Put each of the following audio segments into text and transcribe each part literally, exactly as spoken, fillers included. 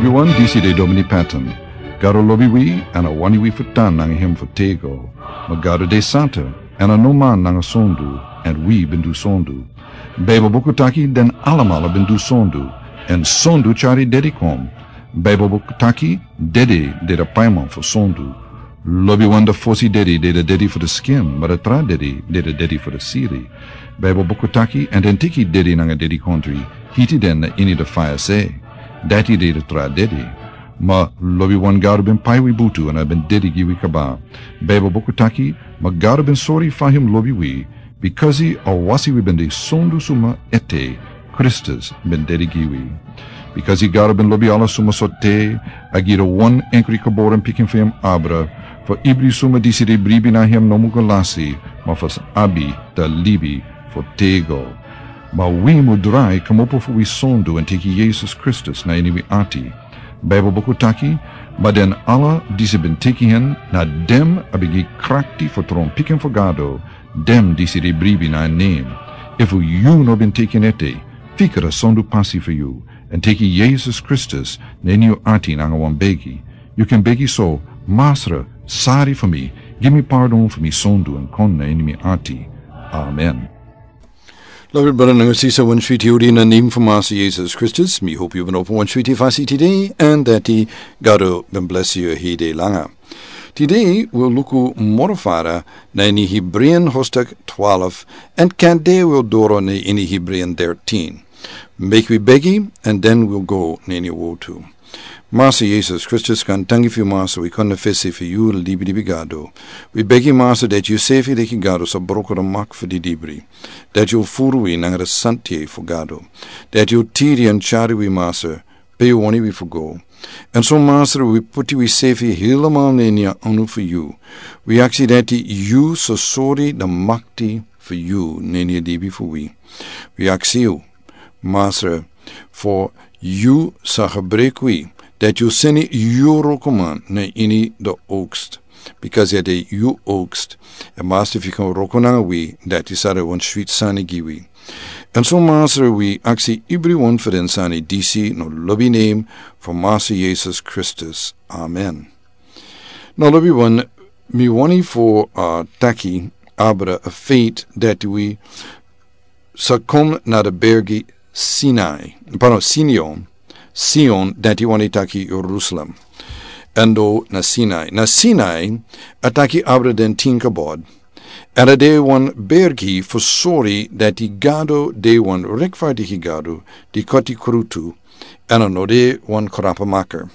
Wi wan disi de Domini Patton. Gado lobi wi, èn a wani wi fu tan nanga hem fu tego. Ma Gado de santa, èn a no man nanga sondu, èn wi ben du sondu. Baibel buku taki den alamala ben du sondu, èn sondu tyari dedi kon. Baibel buku taki dedi de de paiman fu sondu. Lobi wan de fosi dedi de de dedi fu de skin, ma de tra dedi de de dedi fu de siri. Baibel buku taki, èn den teki dedi nanga dedi kontri, hiti den na ini de faya se. Dati de de tra dedi. Ma lobi wan Gado ben pai wi butu èn a ben dedi gi wi kaba. Baibel buku taki, ma Gado ben sori fa hem lobi wi, bikasi a wasi wi ben de sondu suma ete, Kristus ben dedi gi wi. Bikasi Gado ben lobi ala suma so te, a gi de wan enkri kaboren pikin fu hem abra, fu ibri suma disi de bribi na hem no mu go lasi, ma fu abi de libi fu tego. Ma wi mu drai kmopo fu wi sondu èn teki Yesus Kristus na ini wi ati. Baibel buku taki, ma den ala disi ben teki hen, na dem a ben gi krakti fu tron pikin fu Gado, dem disi de bribi na en nem. Efu yu no ben teki en ete, fika de sondu pasi fu yu, èn teki Yesus Kristus na ini yu ati nanga wan begi. Yu kan begi so, Masra, sari fu mi, gi mi pardon fu mi sondu èn kon na ini mi ati. Amen. Lobi brada nanga sisa, wan switi odi na nem fu Masra Yesus Kristus. Mi hopi yu ben opo wan switi fasi tide, èn dati Gado ben blesi yu hede langa. Tide wi o luku moro fara na ini Hebreean hostak twalf, èn kande wi o doro na ini Hebreean dertien. Meki wi begi, èn den wi o go na ini wotu. Masra Yesus Kristus, gaantangi fu yu Masra, wi kon na fesi fu yu libi libi Gado. Wi begi Masra dati yu sefi leki Gado sa broko de mak fu di dibri. Dati yu o furu wi nanga de santi fu Gado. Dati yu o tiri èn tyari wi Masra, pe yu wani wi fu go. Èn so Masra wi puti wi sefi helemaal na ini a anu fu yu. Wi aksi dati yu sa sori de makti fu yu na ini a libi fu wi. Wi aksi yu, Masra, fu yu sa gebruik wi, dati yu seni yu wrokoman na ini de oogst. Bikasi a de yu oogst. Èn Masra fu yu kan wroko nanga wi, dati sa de wan switi sani gi wi. Èn so Masra wi aksi ibri wan fu den sani disi na lobi nem fu Masra Yesus Kristus. Amen. Na lobi wan mi wani fu, uh, taki abra a feit dati wi sa kon na de bergi Sinai, pardon, Sion, Sion, dati wani taki Jerusalem. Èn do na Sinai. Na Sinai, a taki abra den tin kabod. Èn a de wan bergi fu sori dati Gado de wan rechtvaardige Gado, di koti krutu, èn a no de wan krapamaker.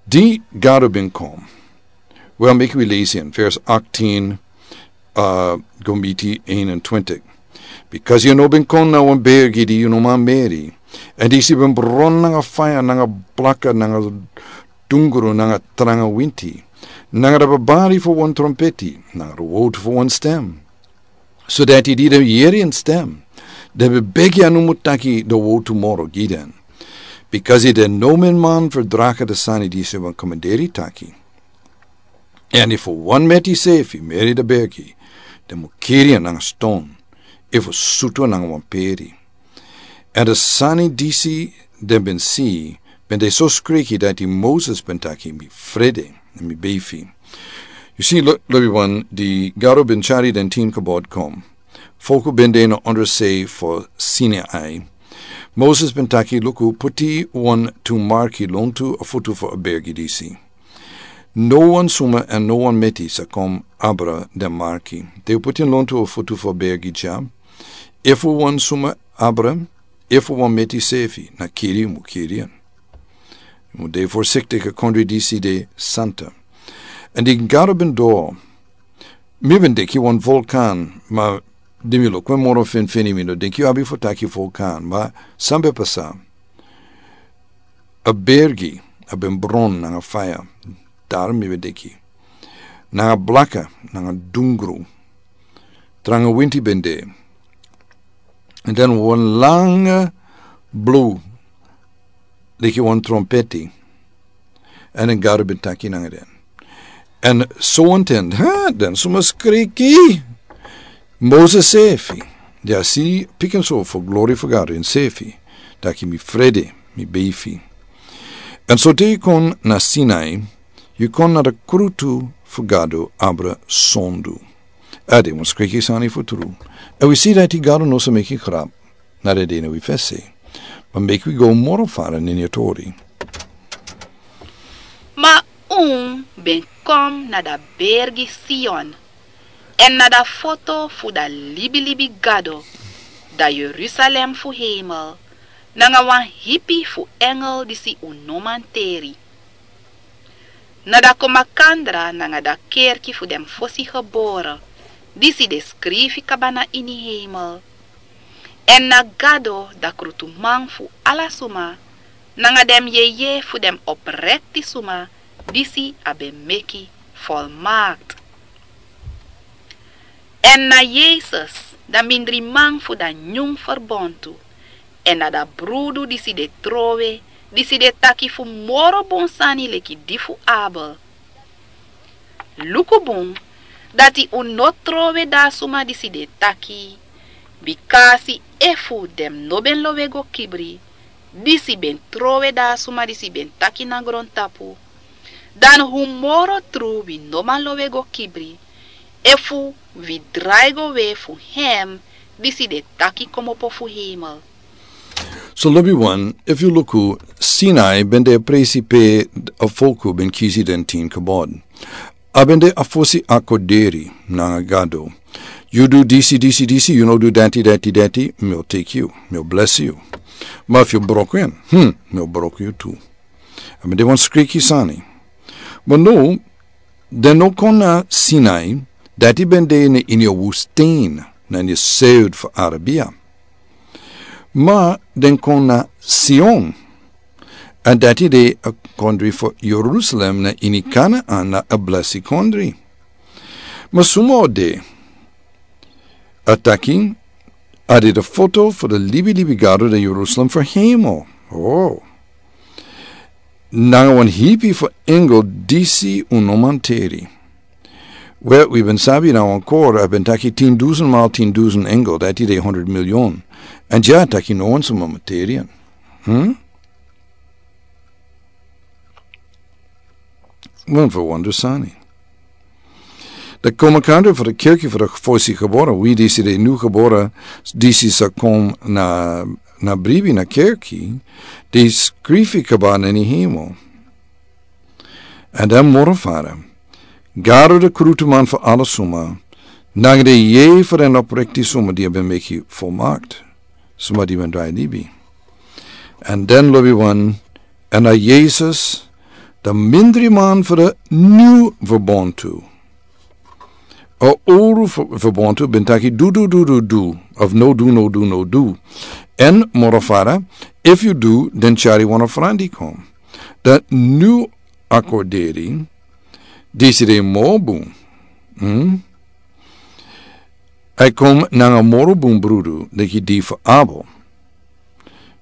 Di Gado ben kon. Wel, meki wi lesi en, vers achttien, uh, go miti eenentwintig. Bikasi yu no ben kon na wan bergi di yu no man meri. Èn disi ben bron nanga faya, nanga blaka, nanga dungru, nanga tranga winti. Nanga de babari fu wan trompeti, nanga de wotu fu wan stem. So dati di den yere en stem, den ben begi a no mu taki de wotu moro gi den. Bikasi den no man man verdragen de sani disi ben komanderi taki. Èn efu wan meti sefi meri de bergi, den mu kiri en nanga ston, efu sutu en nanga wan peri. Èn de sani disi den ben si, ben de so skriki dati Moses ben taki mi frede, èn mi beifi. Yu si, lo-, lobi wan, di Gado ben tyari den tin kabod kon. Folku ben de na ondersei fu Sinai. Moses ben taki luku, puti wan tu marki lontu a futu fu a bergi disi. No wan suma èn no wan meti sa kon abra den marki. Den o puti en lontu a futu fu a bergi dya. Efu wan suma abra, efu wan meti sefi, na kiri yu mu kiri en. Yu mu de voorzichtig, a kondre disi de santa. Èn di Gado ben doro. Mi ben denki wan vulkan, ma di mi luku en moro finfini mi no denki yu abi fu taki vulkan, ma san ben pasa. A bergi, a ben bron nanga faya, dari mi ben denki. Nanga blaka, nanga dungru. Tranga winti ben de. Èn den wan langa blu, leki wan trompeti. Èn den Gado ben taki nanga den. Èn so wan ten, ha, den suma skriki. Moses sefi. Di a si pikinso fu glori fu Gado ensefi. Taki mi frede, mi beifi. Èn so te yu kon na Sinai, yu kon na de krutu fu Gado abra sondu. A de wan skriki sani fu tru. Èn wi si dati Gado no sa meki grap na de de na wi fesi. Ma meki wi go moro fara na ini a tori. Ma un ben kon na da bergi Sion, èn na da foto fu da libilibi Gado, da Yerusalem fu heimel, nanga wan hipi fu engel disi un no man teri. Na da komakandra nanga da kerki fu den fosi gebore, disi de skrifi kaba na ini heimel. Èn na Gado, da krutuman fu ala suma, nanga den yeye fu den oprekti suma, disi a ben meki volmaakt. Èn na Yesus, da mindriman fu da nyun ferbontu, èn na da brudu disi de trowe, disi de taki fu moro bun sani leki di fu Abel. Luku bun, dati un no trowe da suma disi de taki, bikasi efu den no ben lowe go kibri, disi ben trowe da suma disi ben taki na grontapu, dan un moro tru wi no man lowe go kibri, efu wi drai go we fu hem disi de taki komopo fu heimel. So lobi wan, efu yu luku, Sinai ben de a presi pe a folku ben kisi den tin kabod. A ben de a fosi akorderi nanga Gado. Yu du disi, disi, disi, yu no du dati, dati, dati, mi o teki yu, mi o blesi yu. Ma efu yu broko en, hmm, mi o broko yu tu. A ben de wan skriki sani. Ma no, den no kon na Sinai, dati ben de na ini a wustin, na ini a seud fu Arabia. Ma den kon na Sion, èn dati de a kondri fu Yerusalem na ini Kanaan, na a blesi kondri. Ma suma o de, a taki, a de de foto fu de libilibi Gado de Yerusalem fu heimel. Oh. Nanga wan hipi fu engel disi un no man teri. Wel, wi ben sabi na wan kor, a ben taki tin dusen mal tin dusen engel, dati de honderd miljoen. Èn dya a taki no wan suma man teri en. Hmm? Wan fu wonder sani. De komakandra fu de kerki fu de fosi gebore, wi disi de nu gebore, disi sa kon na, na bribi na kerki, di skrifi kaba na ini heimel. Èn den moro fara, Gado de krutuman fu ala suma, nanga de yeye fu den oprekti suma di a ben meki volmaakt, suma di ben drai libi. Èn den lobi wan, èn na Yesus, de mindriman fu de nyun verbontu. A owru ver-, verbontu ben taki du, du, du, du, du, of no du, no du, no du. Èn moro fara, efu yu du, den tyari wan ofrandi kon. De nyun akorderi, disi de moro bun. Hmm? A e kon nanga moro bun brudu, leki di fu Abel.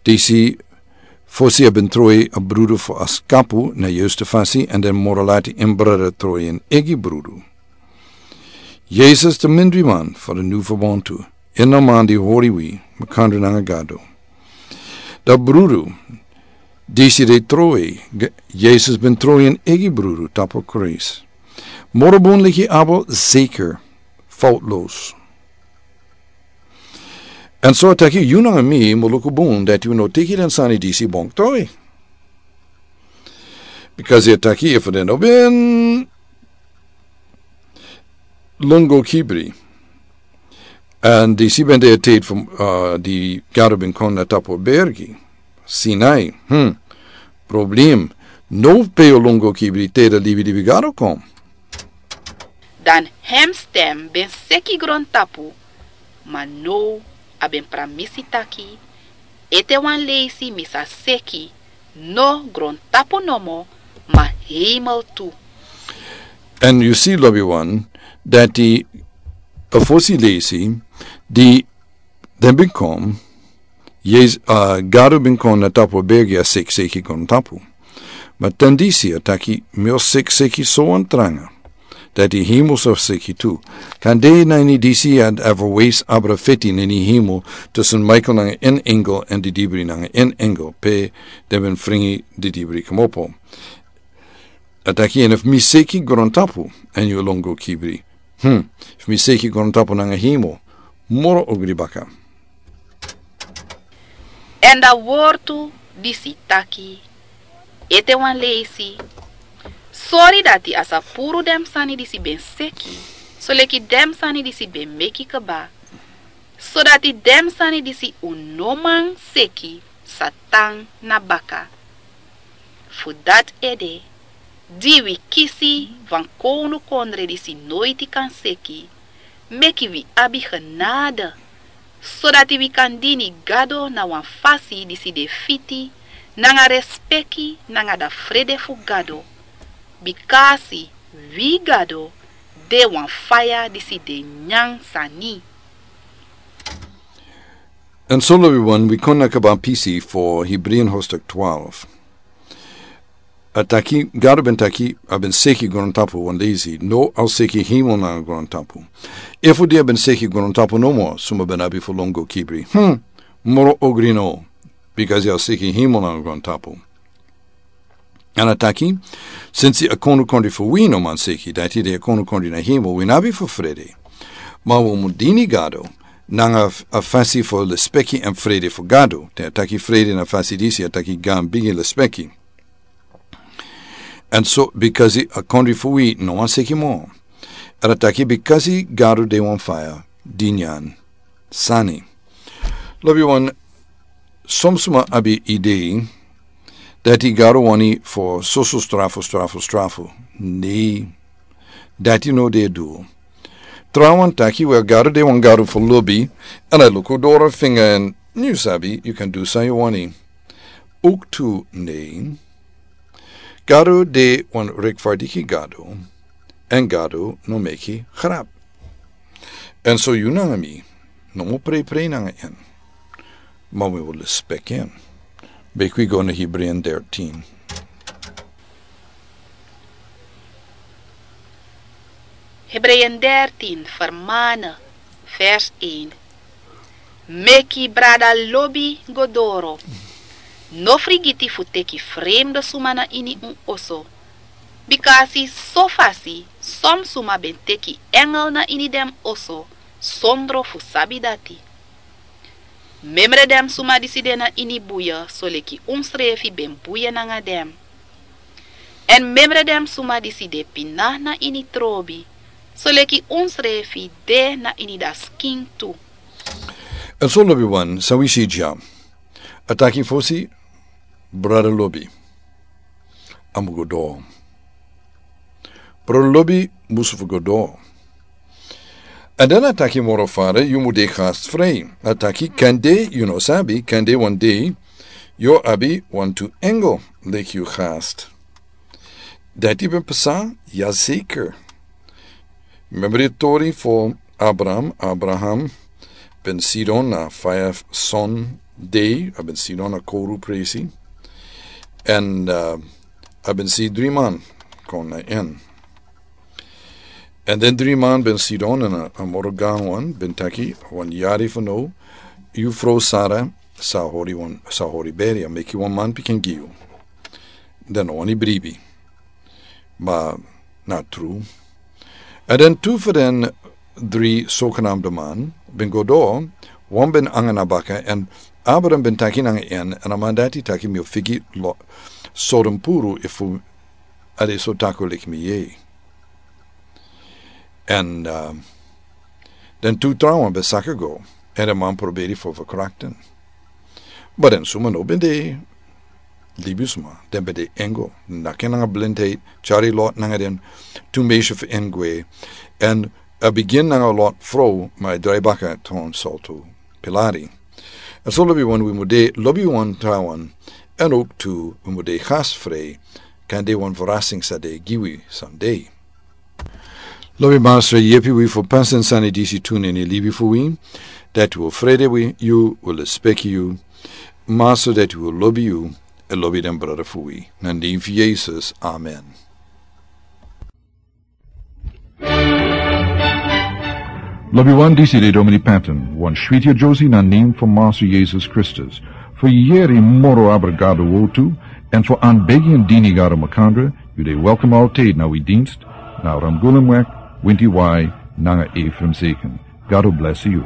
Disi fosi a ben trowe a brudu fu a skapu na yustu fasi, èn den moro lati en brada trowe en eigi brudu. Yesus de mindriman fu de nyun verbontu, ini a man di hori wi, makandra nanga Gado. Da brudu, disi de trowe, G-, Yesus ben trowe en eigi brudu, tapu Kris. Moro bun leki Abel, zeker, foutloos. Èn so a taki yu nanga mi, mi o luku bun, dati wi no teki den sani disi bon toy. Because a taki efu den no ben lon go kibri. Èn disi ben de a tide fu, uh, di Gado ben kon na tapu a bergi. Sinai, hmm. Problem. No pe yu o lon go kibri te de libilibi Gado kon. Dan hem stem ben seki grontapu, ma now a ben pramisi taki, ete wan leisi mi sa seki, no grontapu nomo, ma heimel tu. Èn yu si lobi wan, dati a fosi leisi, di den ben kon, Yes, uh, Gado ben kon na tapu a bergi a seki seki kon tapu. Ma tan disi a taki mi o seki seki so wan tranga. Dati hemel sa seki tu. Kan de na ini disi a ever wees abra feti na ini hemel tusun Michael nanga en engel en didibri nanga en engel pe den ben fringi didibri komopo. A taki en efu mi seki grontapu en yu longo kibri. Hmm, efu mi seki grontapu nanga hemel moro ogri baka. Èn da wortu disi taki, ete wan leisi. Sori dati a sa puru den sani disi ben seki, soleki den sani disi ben meki kba, sodati den sani disi un no man seki sa tan na baka. Fu dati ede di wi kisi wan kownukondre disi noiti kan seki, meki wi abi genade, sodati wi kan dini Gado na wan fasi disi de fiti nanga respeki nanga da frede fu Gado, bikasi wi Gado de wan faya disi de nyan sani. Èn so lobi wan wi kon na kaba pisi fo Hebreeën hoofdstuk twaalf. A taki, Gado ben taki, a ben seki grontapu wan leisi, no a o seki hemel nanga grontapu. Efu di a ben seki grontapu nomo, suma ben abi fu longo kibri. Hmm, moro ogri no, bikasi a o seki hemel nanga grontapu. Èn a taki, sensi a kondukondri fu wi no man seki, dati de a kondukondri na hemel, wi no abi fu frede. Ma wi mu dini Gado, nanga a fasi fu lespeki èn frede fu Gado. Te a taki frede na fasi disi, a taki gan bigi lespeki. Èn so, bikasi a kondri fu wi no man seki mo. Èn a taki bikasi Gado de wan faya, di nyan sani. Lobi wan, son suma abi idei, dati Gado wani fo soso strafu, strafu, strafu. Nei, dati no de du. Trawan taki wel Gado de wan Gado fo lobi, èn a luku doro finga èn yu sabi, yu kan du san yu wani. Ook tu nei. Gado de wan rekfardiki Gado, èn Gado no meki grap. Èn so yu nanga mi, no mu preiprei nanga en. Ma wi wil lespeki en. Beki wi go na Hebreeën dertien. Hebreeën dertien, vermanen, vers een. Meki brada lobi go doro. No frigiti fu teki fremde suma na ini un oso. Bikasi so fasi, son suma ben teki engel na ini den oso, sondro fu sabi dati. Memre den suma disi de na ini buye, soleki unsrefi ben buye nanga den. Èn memre den suma disi de pina na ini trobi, soleki unsrefi de na ini da skin tu. Èn so lobi wan, san wi si dya. A taki fosi, brada lobi. A mu go doro. Brada lobi musu fu go doro. Èn dan a taki moro fara, yu mu de gastfrei. A taki kande, yu no sabi, kande wan dei, yu o abi wantu engel, leki yu gast. Dati ben pasa, ya zeker. Memre tori fo Abraham, Abraham ben sidon na faya son dei, a ben sidon na kowru presi. Èn, eh, a ben si dri man kon na en. Èn den dri man ben sidon èn a, a moro gan wan ben taki, wan yari fu no, yu frow Sara sa hori wan, sa hori beri, a meki wan man pikin gi yu. Den no wani bribi. Ma na tru. Èn den tu fu den dri sogenamde man ben go doro, wan ben nanga na baka, èn Abraham ben taki nanga en, èn a man dati taki mi o figi Lot, Sodom puru efu a de so taku leki mi yei. Èn, eh, den tu trawan ben saka go, èn den man proberi fu verkrachten. Ma den suma no ben de libisma, den ben de engel, naki nanga blindheid, tyari Lot nanga den tu meisje fu en gwe, èn a bigin nanga Lot frow, ma a drai baka tron soltu pilari. Èn so lobi wan wi mu de, lobi wan trawan, èn ook tu wi mu de gastfrei, kande wan verrassing sa de gi wi sandei. Lobi Masra, yepi wi fu pasa den sani disi tu na ini libi fu wi, dati wi o frede wi, yu, wi o lespeki yu, Masra dati wi o lobi yu, èn lobi den brada fu wi. Na nen fu Yesus, amen. Lobi wan, disi de Domini Patton, wan switi a Josi na nen fu Masu Yesus Kristus. Fu yeri moro abra Gado wotu, en fu an begi en dini Gado makandra, yu de welkom alten na wi dinst, na Ramgulum wek, winti wai, nanga Efraim Seken. Gado blesi yu.